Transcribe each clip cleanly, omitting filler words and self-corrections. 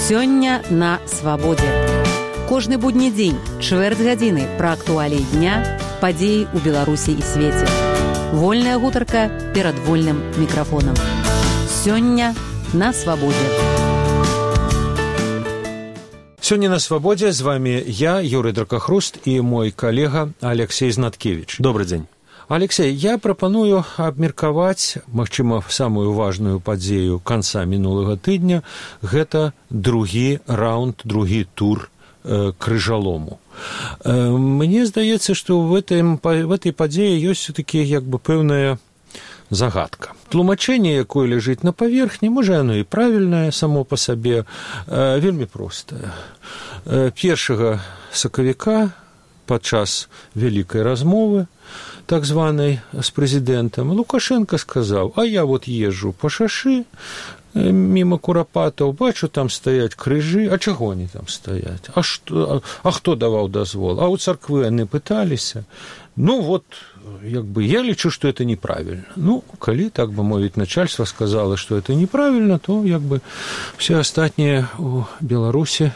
Сёння на свабодзе. Кожны будні дзень, чвэрць гадзіны пра актуаліі дня, падзеі ў Беларусі і свеце. Вольная гутарка перад вольным мікрафонам. Сёння на свабодзе. Сёння на свабодзе з вами я, Юрый Дракахруст, і мой калега Алексей Знаткевич. Добрый дзень. Алексей, я прапаную абмеркаваць, магчыма, самую важную падзею канца мінулага тыдня. Гэта другі раунд, другі тур крыжалому. Мне здаецца, што в этой падзеі ёсць все-таки пэўная загадка. Тлумачэнне, якое ляжыць на паверхні, можа, оно і правільнае само па сабе, вельмі простае. 1 сакавіка падчас вялікай размовы, так званай, з прэзідэнтам, Лукашенко сказаў: а я вот езжу по шашы, мимо курапатаў, бачу, там стаяць крыжы. А чаго они там стаяць? А хто даваў дазвол? А у царквы яны пыталіся. Я лічу, што это неправільна. Калі, так бы мовіць, начальство сказала, што это неправільна, то, все астатнія у Беларусі,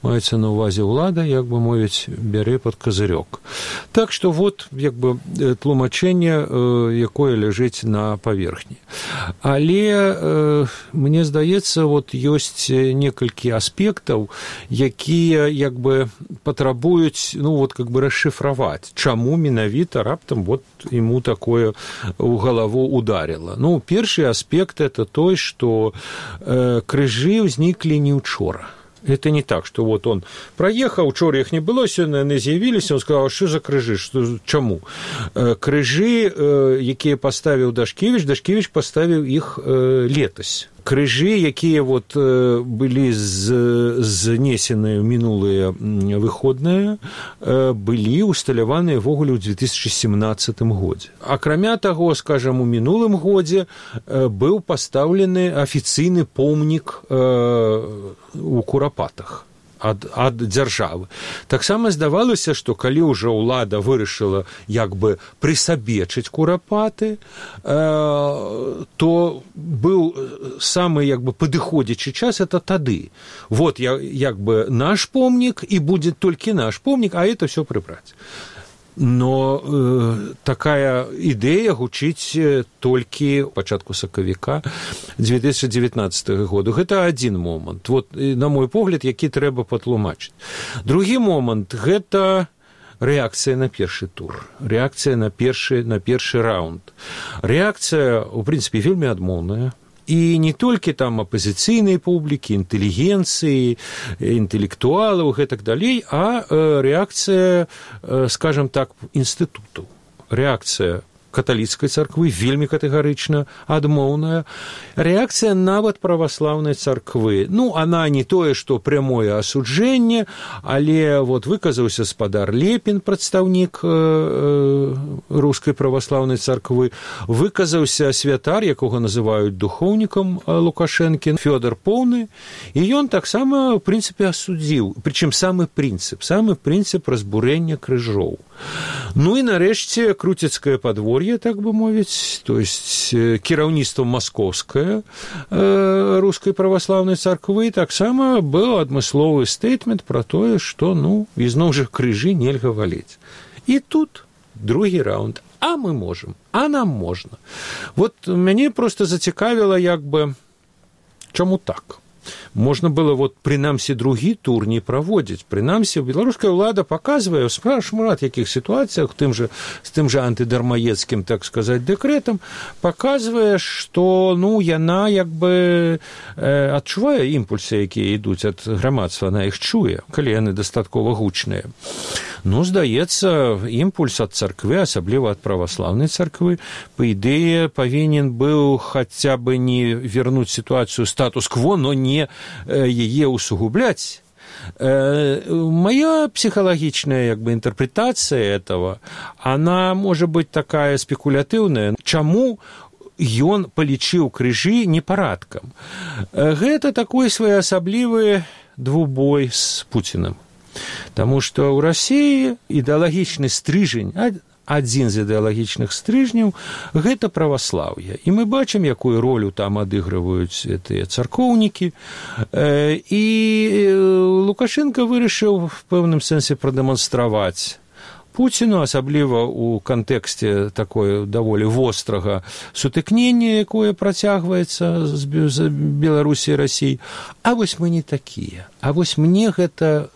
маецца на ўвазе ўлада, мовіць, бярэ пад казырёк. Так што тлумачэнне, якое ляжыць на паверхні. Але мне здаецца, ёсць некалькі аспектаў, якія патрабуюць расшыфраваць, чаму менавіта раптам ему такое ў галаву ударило. Першы аспект – это той, што крыжы ўзніклі не учора. Это не так, что он проехал, учора их не было, сегодня они з'явились, он сказал: что за крыжи, чему? Крыжи, якія поставил Дашкевич поставил их летась. Крыжы, якія былі знесены ў мінулыя выходныя, былі усталяваныя ввогуле ў 2017 годзе. Акрамя таго, скажам, у мінулым годзе быў пастаўлены афіцыйны помнік у Курапатах ад дзяржавы. Таксама здавалася, што калі ўжо ўлада вырашыла прысабечыць Курапаты, то быў самы падыходзячы час это тады. Наш помнік, і будзе толькі наш помнік, а это все прыбраць. Но такая ідэя гучыць толькі ў пачатку сакавіка 2019 году. Гэта адзін момант, на мой погляд, які трэба патлумачыць. Другі момант – гэта рэакцыя на першы тур, рэакцыя на першы раунд. Рэакцыя, у прынцыпе, вельмі адмоўная. І не толькі там апазіцыйнай публікі, інтэлігенцыі, інтэлектуалаў і гэтак далей, а рэакцыя, скажам так, інстытутаў. Рэакцыя каталіцкай царквы вельмі катэгарычна адмоўная. Рэакцыя нават праваслаўнай царквы. Она не тое, што прямое асуджэнне, але выказаўся спадар Лепін, прадстаўнік рускай праваслаўнай царквы, выказаўся святар, якога называюць духоўнікам Лукашэнкі, Фёдор Поўны, і ён таксама, в прынцыпе, асудзіў, прычым самы прынцып разбурэння крыжоў. І нарэшце круцецкае падвор'е, так бы мовіць, то есть кіраўніцтва маскоўскае рускай праваслаўнай царквы, таксама быў адмысловы стейтмент пра тое, што, ізноў жа, крыжы нельга валіць. І тут другі раунд. А мы можам, а нам можна. Мяне проста зацікавіла, чаму так? Можна было, прынамсі, другі тур не праводзіць. Прынамсі, беларуская ўлада паказвае ў шмат якіх сітуацыях, з тым жа антыдармаецкім, так сказаць, дэкрэтам, паказвае, што, яна адчувае імпульсы, якія ідуць ад грамадства, она іх чуе, калі яны дастаткова гучныя. Здаецца, імпульс ад царквы, асабліва ад праваслаўнай царквы, па ідэі, павінен быў хаця бы не вернуць сітуацыю статус-кво, но не яе усугубляць. Моя психологичная интерпретация этого, она может быть такая спекулятыўная. Чаму ён палічыў крыжы непарадкам? Гэта такой своеасаблівы двубой з Пуціным. Таму што ў Расіі ідэалагічны стрыжень адзін з ідэалагічных стрыжняў – гэта праваслаўе. І мы бачым, якую ролю там адыгрываюць гэтыя царкоўнікі. І Лукашенко вырашыў в пэўным сэнсе прадэманстраваць Пуціну, асабліва ў кантэксце такое даволі вострага сутыкнення, якое працягваецца з Беларусі і Расіі. А вось мы не такія. А вось мне гэта,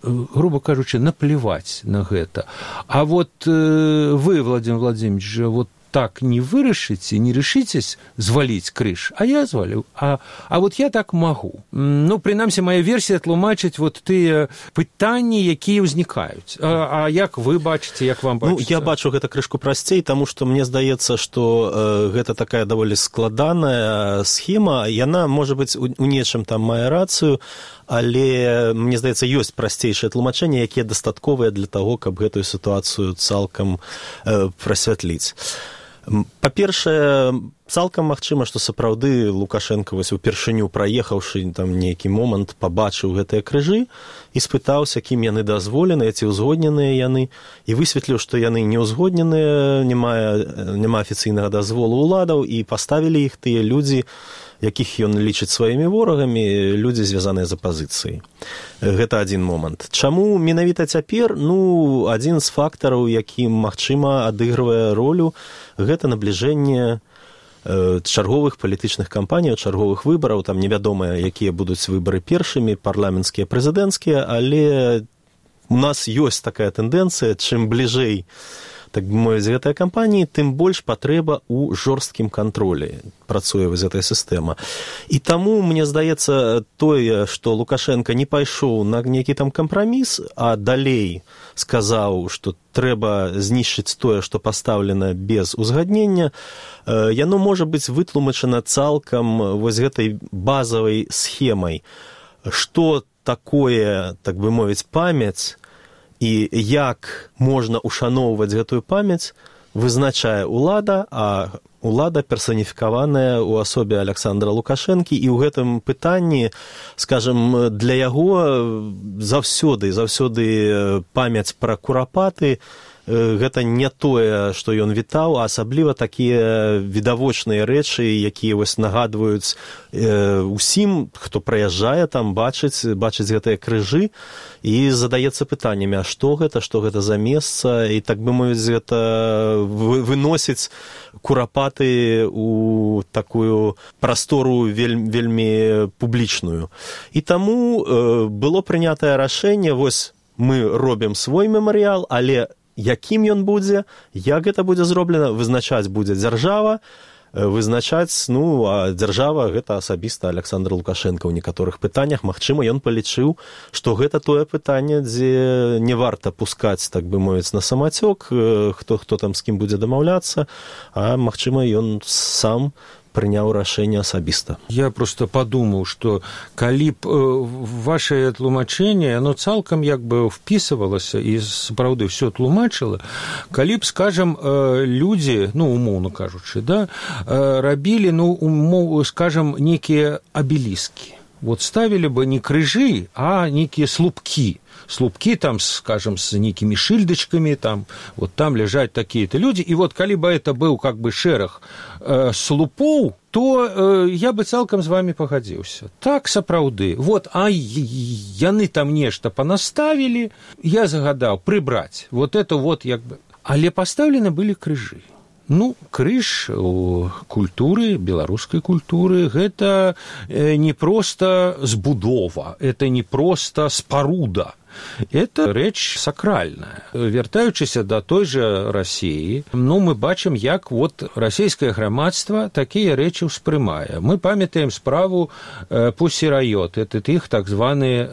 грубо кажучы, наплеваць на гэта. А вот вы, Владимир Владимирович, вот так не вырашыце, не решитесь зваліць крыж, а я звалю. А вот я так магу. Ну, прынамсі, моя версія тлумачыць вот тыя пытанні, якія ўзнікаюць. А як вы бачыце, як вам бачыцца? Ну, я бачу гэта крышку прасцей, таму што мне здаецца, што гэта такая даволі складаная схема. Яна, можа быць, у нечым там мае рацыю, але, мне здаецца, ёсць прасцейшае тлумачэнне, якія дастатковыя для таго, каб гэтую сітуацыю цалкам прасвятліць. Па-першае, цалкам магчыма, што сапраўды Лукашенко вось упершыню праехаўшы там нейкі момант пабачыў гэтыя крыжы і спытаўся, кім яны дазволеныя, ці ўзгодненыя яны, і высветліў, што яны не ўзгодненыя, няма афіцыйнага дазволу ўладаў, і паставілі іх тыя людзі, якіх ён лічыць сваімі ворагамі, людзі, звязаныя з апазіцыяй. Гэта адзін момант. Чаму менавіта цяпер? Ну, адзін з фактараў, які, магчыма, адыгрывае ролю, гэта набліжэнне чарговых палітычных кампаній, чарговых выбараў, там невядома, якія будуць выбары першымі, парламенцкія, прэзідэнцкія, але у нас ёсць такая тэндэнцыя, чым бліжэй, так бы мовіць, гэтая кампаніі, тым больш патрэба ў жорсткім кантролі працуе вось гэтая сістэма. І таму, мне здаецца, тое, што Лукашенко не пайшоў на нейкі там кампраміс, а далей сказаў, што трэба знішчыць тое, што пастаўлена без узгаднення, яно можа быць вытлумачана цалкам вось гэтай базавай схемай. Што такое, так бы мовіць, памяць, і як можна ушаноўваць гэтую памяць, вызначае ўлада, а ўлада персаніфікаваная ў асобе Александра Лукашэнкі, і ў гэтым пытанні, скажам, для яго заўсёды памяць пра курапаты гэта не тое, што ён вітаў, а асабліва такія відавочныя рэчы, якія вось нагадваюць усім, хто праязджае там, бачыць гэтыя крыжы, і задаецца пытаннямі, а што гэта за месца, і так бы мовіць, гэта выносіць курапаты ў такую прастору вельмі публічную. І таму было прынятае рашэнне, вось мы робім свой мемарыял, але якім ён будзе, як гэта будзе зроблена, вызначаць будзе дзяржава, вызначаць, ну, а дзяржава гэта асабіста Александр Лукашенко ў некаторых пытаннях. Магчыма, ён палічыў, што гэта тое пытанне, дзе не варта пускаць, так бы мовіць, на самацёк, хто там з кім будзе дамаўляцца, а магчыма, ён сам прыняў рашэнне асабіста. Я просто падумаў, што калі б вашае тлумачэнне, оно цалкам як бы впісывалася і сапраўды ўсё тлумачыла, калі б, скажам, людзі, ну, умоўна кажучы, да, рабілі, ну, скажам, некія абеліскі. Вот ставілі бы не крыжы, а некія слупкі. Слупкі там, скажем, с некими шильдочками, там, вот там лежать такие-то люди, и вот калі бы это был как бы шэраг слупоў, то я бы цалкам з вами пагадзіўся. Так, сапраўды. Вот, а яны там нешта понаставили, я загадаў прыбраць. Вот это вот як бы... Але пастаўлены былі крыжы. Ну, крыж у культуры, беларускай культуры, гэта не проста збудова, это не проста спаруда. Это рэч сакральная. Вяртаючыся да той жа Расіі, ну, мы бачым, як вот расійскае грамадства такія рэчы ўспрымае. Мы памятаем справу Пусі Райот, это тых так званы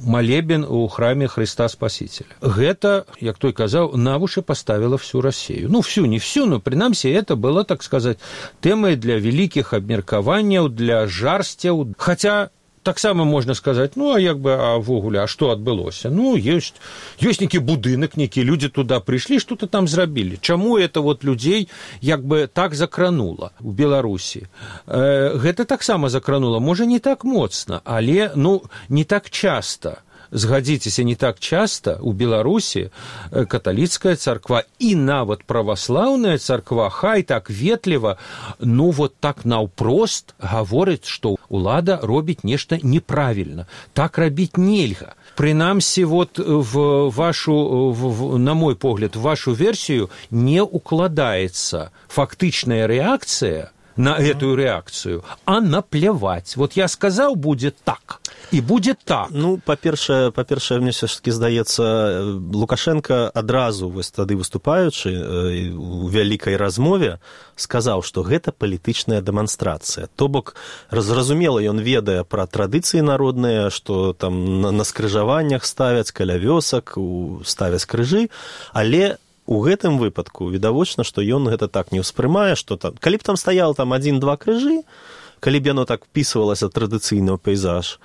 малебен у храме Христа Спасителя. Гэта, як той казаў, на вушы паставіла всю Расію. Ну, всю, не всю, но, прынамсі, это было, так сказаць, тэмай для вялікіх абмеркаванняў, для жарсцяў. Хаця таксама можна сказаць, ну, а як бы, а ввогуле, а што адбылося? Ну, ёсць нейкі будынак, нейкія людзі туда прыйшлі, што-то там зрабілі. Чаму это вот людзей як бы так закранула ў Беларусі? Гэта таксама закранула, можа, не так моцна, але, ну, не так часта. згадзіцеся, не так часта у Беларусі каталіцкая царква і нават праваслаўная царква хай так ветліва, ну вот так наўпрост гаворыць, што ўлада робіць нешта неправільна. Так рабіць нельга. Прынамсі, вот в вашу, на мой погляд, в вашу версію не укладаецца фактычная рэакцыя на эту реакцию, а наплевать. Вот я сказал, будет так, и будет так. Ну, па-першае, мне все-таки здаецца, Лукашенко адразу вось тады выступаючы у вялікай размове сказаў, што гэта палітычная дэманстрацыя. То бок, зразумела, ён ведае пра традыцыі народныя, што там на скрыжаваннях ставяць, каля вёсак, ставяць крыжы, але у гэтым выпадку відавочна, што ён гэта так не ўспрымае, што там, калі б там стаял там 1-2 крыжы, калі б яно так впісвалася традыцыйна ў пейзаж,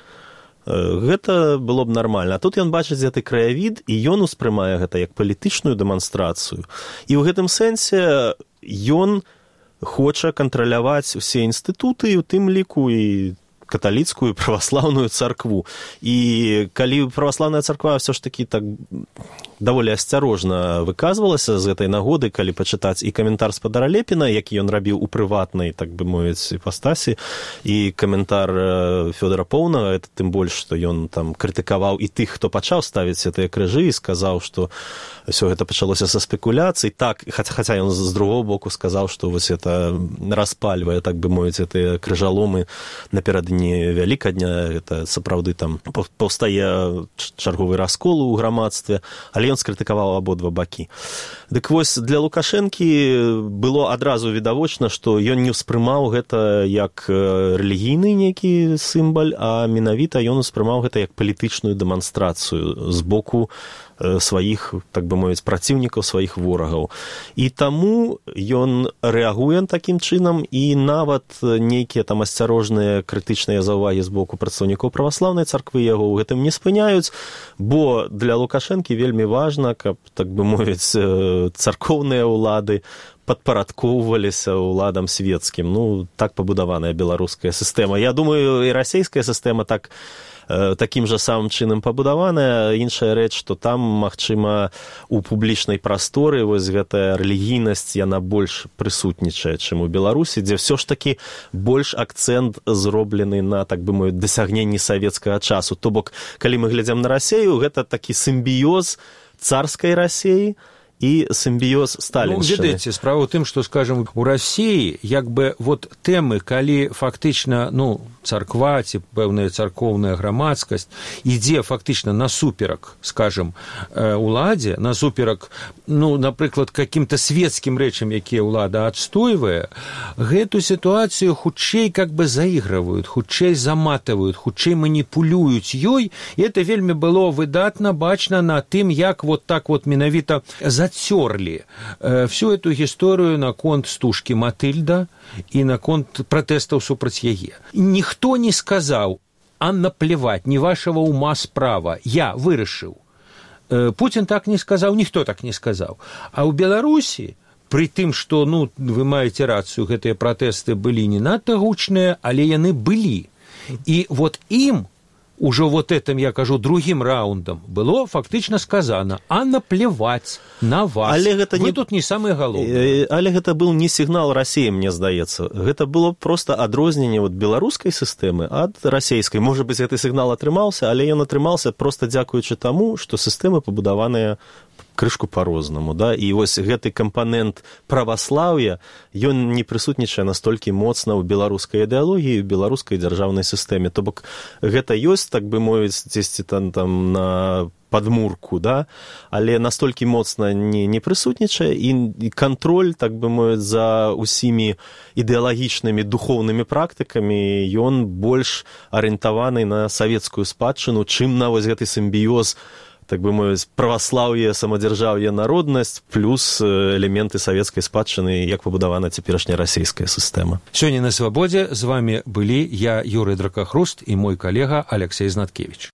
гэта было б нармальна. А тут ён бачыць гэты краявід, і ён успрымае гэта як палітычную дэманстрацыю. І ў гэтым сэнсе ён хоча кантраляваць усе інстытуты, у тым ліку і каталіцкую праваслаўную царкву. І калі праваслаўная царква ўсё ж такі так даволі асцярожна выказвалася з гэтай нагоды, калі пачытаць і каментар спадара Лепіна, які ён рабіў у прыватнай, так бы мовіць, іпастасі, і каментар Фёдора Поўнага, это тым больш, што ён там крытыкаваў і тых, хто пачаў ставіць гэтыя крыжы, і сказаў, што ўсё гэта пачалося са спекуляцый. Так, хаця ён з другого боку сказаў, што вось это распальвае, так бы мовіць, гэтыя крыжаломы наперададні Вялікадня, это сапраўды там паўстае чарговы раскол у грамадстве, але ён скрытыкаваў абодва бакі. Дык вось для Лукашэнкі было адразу відавочна, што ён не ўспрымаў гэта як рэлігійны нейкі сімбаль, а менавіта ён успрымаў гэта як палітычную дэманстрацыю з боку сваіх, так бы мовіць, праціўнікаў, сваіх ворагаў. І таму ён рэагуе такім чынам, і нават нейкія там асцярожныя крытычныя заўвагі з боку прадстаўнікоў праваслаўнай царквы яго ў гэтым не спыняюць, бо для Лукашэнкі вельмі важна, каб, так бы мовіць, царкоўныя ўлады падпарадкоўваліся ўладам свецкім. Ну, так пабудаваная беларуская сістэма. Я думаю, і расійская сістэма такім жа самым чынам пабудаваная. Іншая рэч, што там, магчыма, у публічнай прасторы вось гэтая рэлігійнасць, яна больш прысутнічае, чым у Беларусі, дзе ўсё ж такі больш акцэнт зроблены на, так бы мовіць, дасягненні савецкага часу. То бок, калі мы глядзім на Расею, гэта такі сімбіёз царскай Расеі і сімбіёз сталіншчыны. Ну, ведаеце, справа ў тым, што, скажам, у Расіі як бы вот тэмы, калі фактычна, ну, царква ці пэўная царкоўная грамадскасць ідзе фактычна насуперак, скажам, уладзе, насуперак, ну, напрыклад, каким-то светскім рэчам, якія ўлада адстойвае, гэту сітуацыю хутчэй как бы заігрываюць, хутчэй заматываюць, хутчэй маніпулююць ёй, і это вельмі было выдатна бачна на тым, як вот так вот менавіта зацёрлі всю эту гісторыю наконт стужкі Матыльда і наконт пратэстаў супраць яе. Ніхто не сказаў, а наплевать, не вашего ума справа, я вырашыў. Путин так не сказаў, ніхто так не сказаў. А ў Беларусі, пры тым, што, ну, вы маеце рацыю, гэтыя пратэсты былі не надта гучныя, але яны былі. І вот ім уже вот этим, я кажу, другим раундом было фактично сказано, а наплевать на вас. Вы тут не самые галоўныя. Але гэта был не сігнал Расіі, мне здаецца. Гэта было просто адрозненне вот беларускай сістэмы ад расійскай. Можа быць, гэты сігнал атрымаўся, але ён атрымаўся просто дзякуючы таму, што сістэмы пабудаваныя крышку по-рознаму, да, і вось гэты кампанент праваслаўя, ён не прысутнічае настолькі моцна ў беларускай ідэалогіі, ў беларускай дзяржаўнай сістэме. То бок гэта ёсць, так бы мовіць, дзесьці там на падмурку, да, але настолькі моцна не прысутнічае, і кантроль, так бы мовіць, за усімі ідэалагічнымі духоўнымі практыкамі, ён больш арыентаваны на савецкую спадчыну, чым на вось гэты сімбіёз, так бы мовіць, праваслаўе, самадзяржаўе, народнасць, плюс элементы савецкай спадчыны, як пабудавана цяперашняя расійская сістэма. Сёння на Свабодзе з вами былі я, Юрый Дракахруст, і мой калега Алексей Знаткевич.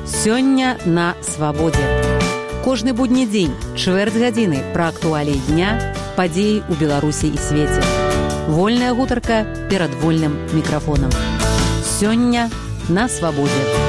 Сёння на Свабодзе. Кожны будні дзень, чвэрць гадзіны пра актуаліі дня, падзеі ў Беларусі і свеце. Вольная гутарка перад вольным мікрафонам. Сёння на свабодзе.